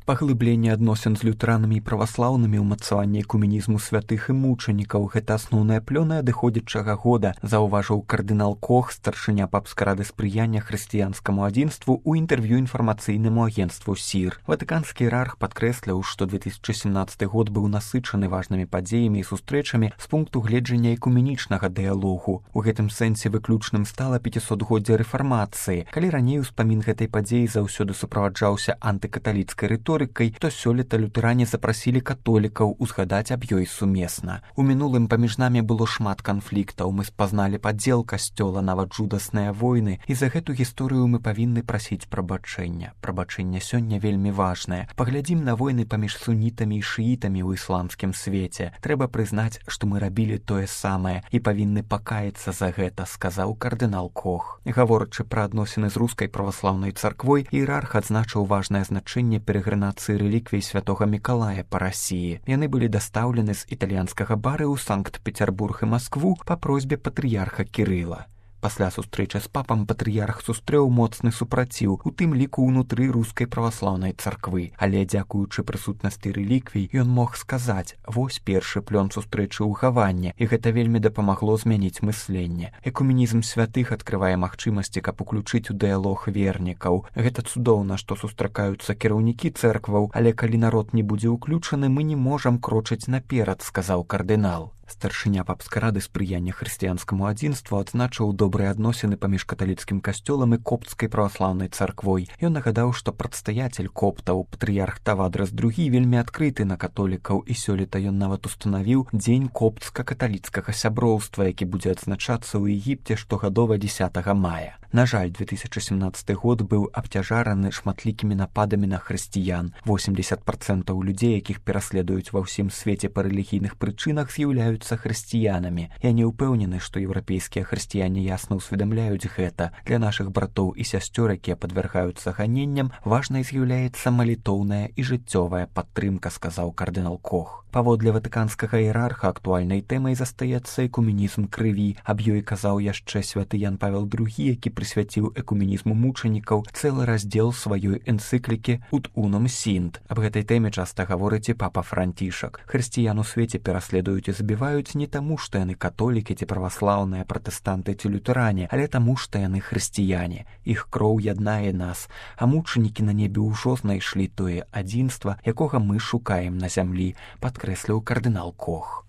Паглыбленне адносін з лютэранамі і праваслаўнымі, ўмацаванне экуменізму святых і мучанікаў — гэта асноўная плёна адыходзячага года, заўважыў кардынал Кох, старшыня папскай рады спрыяння хрысціянскаму адзінству, у інтэрв'ю інфармацыйнаму агенцтву СІР. Ватыканскі іерарх падкрэсліў, што 2017 год быў насычаны важнымі падзеямі і сустрэчамі з пункту гледжання экуменічнага дыялогу. У гэтым сэнсе выключным стала 500годдзе рэфармацыі. Калі раней успамін гэтай падзеі заўсёды суправаджаўся антыкаталіцкай рыторыкай, то сёлета лютэране запрасілі католікаў узгадаць аб ёй сумесна. У мінулым паміж намі было шмат канфліктаў, мы спазналі падзел касцёла, нават жудасныя войны, і за гэту гісторыю мы павінны прасіць прабачэння. Прабачэнне сёння вельмі важнае. Паглядзім на войны паміж сунітамі і шыітамі ў ісламскім свеце. Трэба прызнаць, што мы рабілі тое самае і павінны пакаяцца за гэта, сказаў кардынал Кох. Гаворачы пра адносіны з рускай праваслаўнай царквой, іерарх адзначыў важнае значэнне перагранацыі рэліквій святога Мікалая па Расіі. Яны былі дастаўлены з італьянскага бары ў Санкт-Петербург і Маскву па просьбе патрыярха Кірыла. Пасля сустрэчы з папам патрыярх сустрэў моцны супраціў, у тым ліку ўнутры рускай праваслаўнай царквы. Але дзякуючы прысутнасці рэліквій, ён мог сказаць: вось першы плён сустрэчы ў Гаване, і гэта вельмі дапамагло змяніць мысленне. Экуменізм святых адкрывае магчымасці, каб уключыць у дыялог вернікаў. Гэта цудоўна, што сустракаюцца кіраўнікі цэркваў, але калі народ не будзе ўключаны, мы не можам крочыць наперад, сказаў кардынал. Старшыня папскай рады спрыяння хрысціянскаму адзінству адзначыў добрыя адносіны паміж каталіцкім касцёлам і копцкай праваслаўнай царквой. Ён нагадаў, што прадстаяцель коптаў, патрыярх Тавадрас II, вельмі адкрыты на католікаў, і сёлета ён нават устанавіў дзень коптска-каталіцкага сяброўства, які будзе адзначацца ў Егіпце штогадова 10 мая. На жаль, 2017 год быў абцяжараны шматлікімі нападамі на хрысціян. 80% людзей, якіх пераследуюць ва ўсім свеце па рэлігійных прычынах, з'яўляюцца хрысціянамі. Я не ўпэўнены, што еўрапейскія хрысціяне ясна ўсведамляюць гэта. Для нашых братоў і сясцёр, якія падвяргаюцца ганенням, важнай з'яўляецца малітоўная і жыццёвая падтрымка, сказаў кардынал Кох. Паводле ватыканскага іерарха актуальнай тэмай застаецца экуменізм крыві. Аб ёй казаў яшчэ святы Ян Павел II, які прысвяціў экуменізму мучанікаў цэлы раздзел сваёй энцыклікі «Ut unum sint». Аб гэтай тэме часта гаворыць і папа Францішак. Хрысціян у свеце пераследуюць і забіваюць не таму, што яны католікі ці праваслаўныя, пратэстанты ці лютэране, але таму, што яны хрысціяне. Іх кроў яднае нас, а мучанікі на небе ўжо знайшлі тое адзінства, якога мы шукаем на зямлі, падкрэсліў кардынал Кох.